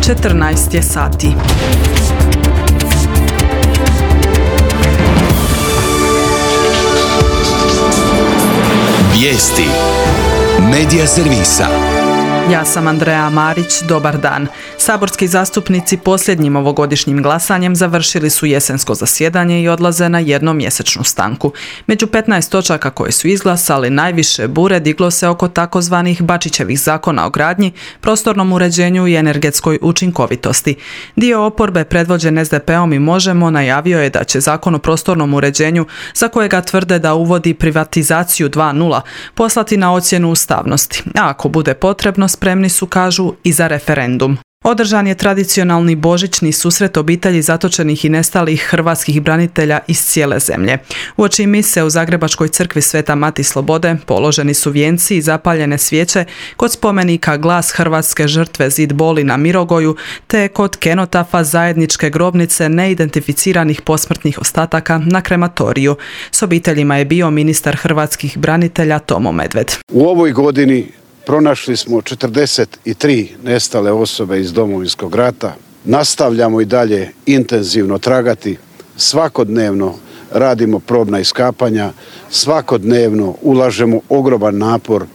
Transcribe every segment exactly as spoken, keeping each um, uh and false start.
četrnaest je sati. Vijesti Medija servisa. Ja sam Andreja Marić, dobar dan. Saborski zastupnici posljednjim ovogodišnjim glasanjem završili su jesensko zasjedanje i odlaze na jednomjesečnu stanku. Među petnaest točaka koje su izglasali najviše bure diglo se oko takozvanih Bačićevih zakona o gradnji, prostornom uređenju i energetskoj učinkovitosti. Dio oporbe predvođen es de pe-om i Možemo najavio je da će zakon o prostornom uređenju, za kojega tvrde da uvodi privatizaciju dva nula, poslati na ocjenu ustavnosti, a ako bude potrebno spremni su, kažu, i za referendum. Održan je tradicionalni božićni susret obitelji zatočenih i nestalih hrvatskih branitelja iz cijele zemlje. Uoči mise u Zagrebačkoj crkvi Sveta Mati Slobode položeni su vijenci i zapaljene svijeće kod spomenika Glas hrvatske žrtve Zid boli na Mirogoju, te kod kenotafa zajedničke grobnice neidentificiranih posmrtnih ostataka na krematoriju. S obiteljima je bio ministar hrvatskih branitelja Tomo Medved. U ovoj godini pronašli smo četrdeset tri nestale osobe iz Domovinskog rata. Nastavljamo i dalje intenzivno tragati. Svakodnevno radimo probna iskapanja. Svakodnevno ulažemo ogroman napor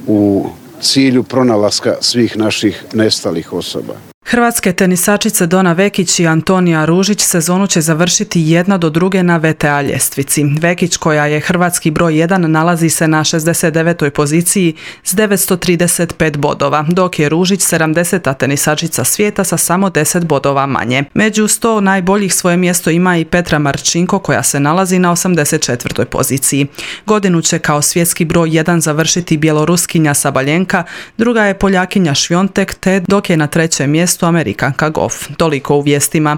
u cilju pronalaska svih naših nestalih osoba. Hrvatske tenisačice Dona Vekić i Antonija Ružić sezonu će završiti jedna do druge na ve te a ljestvici. Vekić, koja je hrvatski broj jedan, nalazi se na šezdeset devetoj poziciji s devetsto trideset pet bodova, dok je Ružić sedamdeseta tenisačica svijeta sa samo deset bodova manje. Među sto najboljih svoje mjesto ima i Petra Marčinko, koja se nalazi na osamdeset četvrtoj poziciji. Godinu će kao svjetski broj jedan završiti Bjeloruskinja Sabaljenka, druga je Poljakinja Švjontek, te dok je na trećem mjestu Amerikanka Goff. Toliko u vijestima.